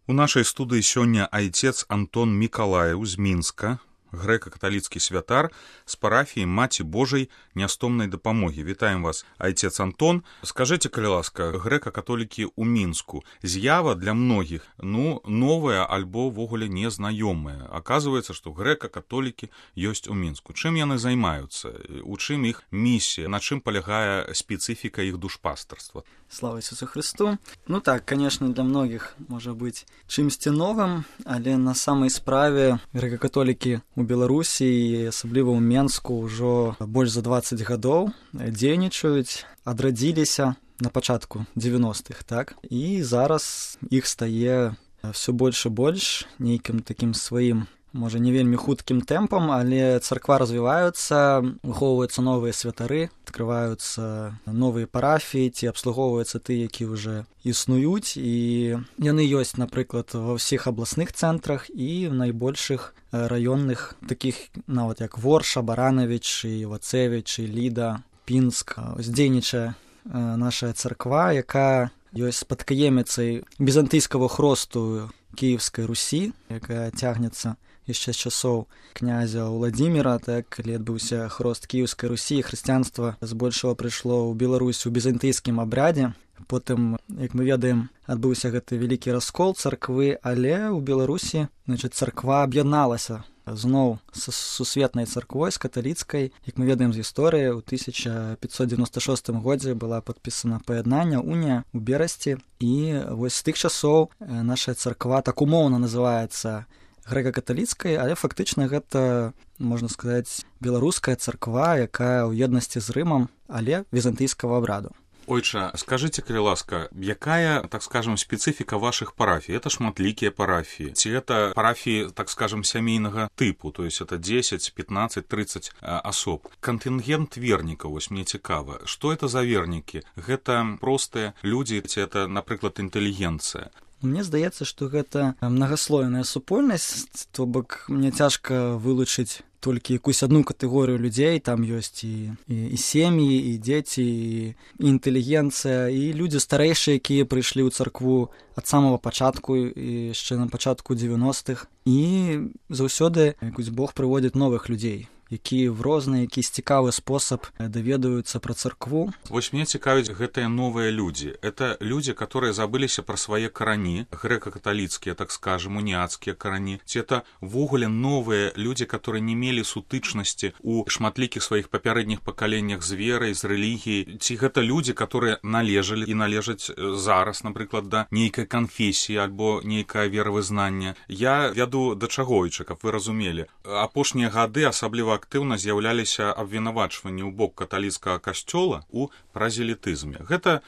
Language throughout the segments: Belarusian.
У нашай студыі сёння айцец Антон Мікалаеў з Мінска, грэка-каталіцкі святар з парафіі Маці Божай нястомнай дапамогі. Вітаем вас, айцец Антон. Скажыце, калі ласка, грэка-католікі ў Мінску, з'ява для многіх, новая альбо ввогуле незнаёмая. Аказваецца, што грэка-католікі ёсць у Мінску. Чым яны займаюцца? У чым іх місія? На чым палягае спецыфіка іх душпастарства? Слава Ісусу Христу. Так, конечно, для многіх можа быць чымсьці новым, але на самай справе грэка-католікі у Беларусі і асабліва ў Менску ўжо больш за 20 гадоў дзейнічаюць, адрадзіліся на пачатку 90-х, так? І зараз іх стае ўсё больш і больш нейкім такім сваім, можа, не вельмі хуткім тэмпам, але царква развіваюцца, выхоўваюцца новыя святары, адкрываюцца новыя парафіі, ці абслугоўваюцца тыя, які ўжо існуюць, і яны ёсць, напрыклад, ва ўсіх абласных цэнтрах і в найбольшых раённых, такіх нават як Ворша, Баранавіч, Вацевіч, Ліда, Пінск. Дзейнічае наша царква, якая ёсць спадкаеміцай візантыйскага хросту Кіеўскай Русі, якая цягнецца яшчэ з часоў князя Уладзіміра, так, калі адбыўся хрост Кіеўскай Русі, хрысціянства збольшага прыйшло ў Беларусь у візантыйскім абрядзе. Потым, як мы ведаем, адбыўся гэты вялікі раскол царквы, але ў Беларусі, царква аб'ядналася зноў з сусветнай царквой, з каталіцкай. Як мы ведаем з гісторыі, у 1596 годзе была падпісана паяднанне, унія ў Берасці, і вось з тых часоў наша царква так умоўна называецца грэка-каталіцкай, але фактычна гэта, можна сказаць, беларуская царква, якая ў еднасці з Рымам, але візантыйскага абраду. Ойча, скажыце, калі ласка, якая, так скажем, спецыфіка вашых парафій? Это шматлікія парафіі? Ці это парафіі, так скажем, сямейнага тыпу, то есть это 10, 15, 30 асоб? Кантынгент вернікаў, вось мне цікава. Што это за вернікі? Гэта простыя людзі, ці это, напрыклад, інтэлігенцыя? Мне здаецца, што гэта мнагаслойная супольнасць, то бок мне цяжка вылучыць толькі якусь адну катэгорыю людзей, там ёсць і сем'і, і дзеці, і інтэлігенцыя, і людзі старэйшыя, якія прыйшлі ў царкву ад самага пачатку, і яшчэ на пачатку 90-х. І заўсёды якусь Бог прыводзіць новых людзей, які в розны, якийсь цікавы спосаб даведаюцца пра царкву. Вось мне цікавіць гэтыя новыя людзі. Это людзі, которые забыліся пра свае карані, грэка-каталіцкія, так скажем, уніяцкія карані. Ці это ввогуле новыя людзі, которые не мелі сутычнасці у шматлікіх сваіх папярэдніх пакаленнях з верай, з рэлігіяй. Ці гэта людзі, которые належалі і належаць зараз, напрыклад, да нейкай канфесіі альбо нейкае веравызнанне. Я вяду да чаго, каб вы разумелі. Апошнія гады асабліва актыўна з'яўляліся абвінавачванні ў бок каталіцкага касцёла ў празелітызме. Гэта,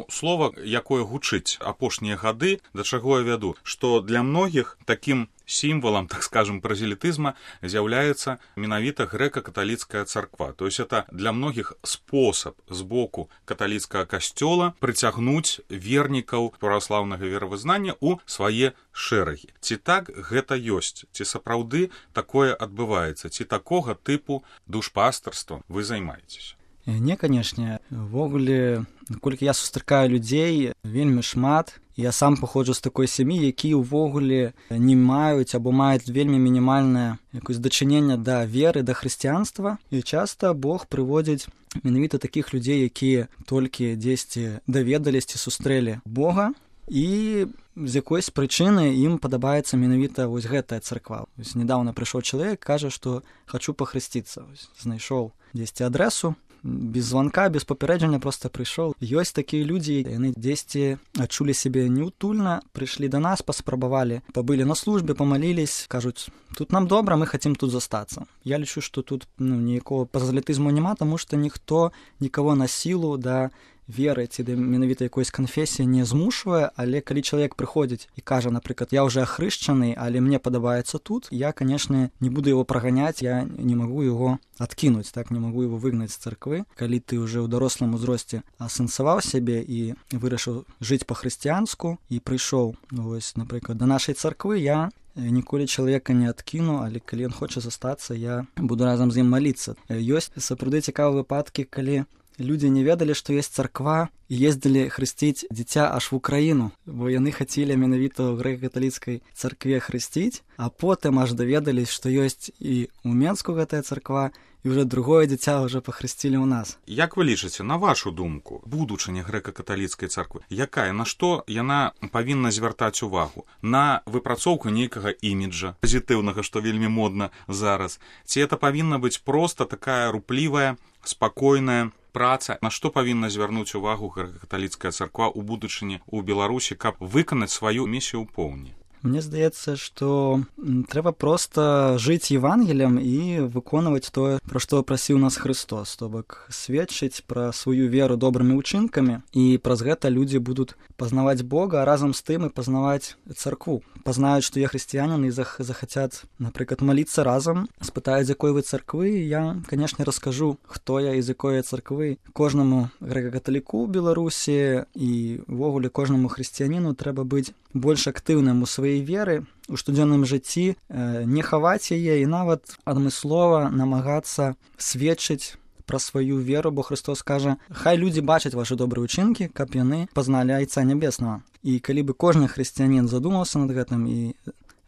слова, якое гучыць апошнія гады, да чаго я вяду, што для многіх такім сімвалам, так скажем, празелітызма з'яўляецца менавіта грэка-каталіцкая царква. То есть это для многіх спосаб з боку каталіцкага касцёла прыцягнуць вернікаў праваслаўнага веравызнання ў свае шэрагі. Ці так гэта ёсць? Ці сапраўды такое адбываецца? Ці такога тыпу душпастарства вы займаецеся? Не, канешне. Ввогуле, наколькі я сустракаю людзей, вельмі шмат. Я сам паходжу з такой сям'і, якія ўвогуле не маюць або маюць вельмі мінімальнае якось дачыненне да веры, да хрысціянства. І часта Бог прыводзіць менавіта такіх людзей, якія толькі дзесьці даведаліся, сустрэлі Бога, і з якоїсь прычыны ім падабаецца менавіта вось гэтая царква. Вось недавно прыйшоў чалавек, кажа, што хачу пахрысціцца. Знайшоў дзесьці адресу, без званка, без папярэджання проста прыйшоў. Ёсць такія людзі, яны дзесьці адчулі сябе неўтульна, прыйшлі да нас, паспрабавалі, пабылі на службе, памалілись, кажуць, тут нам добра, мы хацім тут застацца. Я лічу, што тут ніякого пазалітызму няма, таму што ніхто нікаго на сілу да веры ці да менавіта якоїсь канфесіі не змушвае, але калі чалавек прыходзіць і кажа, напрыклад, я ўжо ахрышчаны, але мне падабаецца тут, я, канешне, не буду его праганяць, я не магу его адкінуць, так, не магу его выгнаць з царквы. Калі ты ўжо ў дарослым узросце асэнсаваў сябе і вырашыў жыць па-хрысціянску і прыйшоў, вось, напрыклад, да нашай царквы, я ніколі чалавека не адкіну, але калі ён хоча застацца, я буду разам з ім маліцца. Ёсць сапраўды цікавыя выпадкі, калі людзі не ведалі, што ёсць царква, і ездзілі хрысціць дзіця аж в Украіну, бо яны хацелі менавіта ў грэка-каталіцкай царкве хрысціць, а потым аж даведались, што ёсць і ў Менску гэтая царква, і ўжо другое дзіця ўжо пахрысцілі ў нас. Як вы лічыце, на вашу думку, будучыня грэка-каталіцкай царквы, якая, на што яна павінна звяртаць увагу? На выпрацоўку нейкага іміджа пазітыўнага, што вельмі модна зараз? Ці это павінна быць проста такая руплівая, спакойная праца? На што павінна звярнуць увагу грэка-каталіцкая царква ў будучыні ў Беларусі, каб выканаць сваю місію ў поўні? Мне здаецца, што трэба проста жыць Евангеліем і выконваць тое, пра што прасіў нас Христос, то бок сведчыць пра сваю веру добрымі ўчынкамі, і праз гэта людзі будуць пазнаваць Бога, а разам з тым і пазнаваць царкву. Пазнаюць, што я хрысціянін, і захацяць, напрыклад, маліцца разам, спытаюць, з якой вы царквы, і я, канешне, раскажу, хто я і з якой я царквы. Кожнаму грэка-каталіку ў Беларусі і ўвогуле кожнаму хрысціяніну трэба быць больш актыўным у сваёй веры, у штодзённым жыцці, не хаваць яе і нават адмыслова намагацца сведчыць пра сваю веру, бо Христос кажа: хай людзі бачаць вашы добрыя ўчынкі, каб яны пазналі Айца Нябеснага. І калі бы кожны хрысціянін задумаўся над гэтым і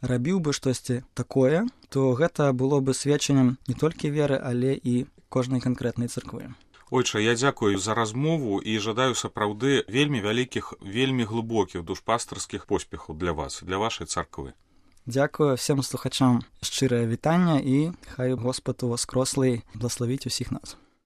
рабіў бы штосьці такое, то гэта было бы сведчаннем не толькі веры, але і кожнай канкрэтнай царквы. Ойча, я дзякую за размову і жадаю сапраўды вельмі вялікіх, вельмі глыбокіх душпастарскіх поспехаў для вас, для вашай царквы. Дзякую всем слухачам, шчырае вітанне, і хай Господ Уваскрослый благословіць усіх нас.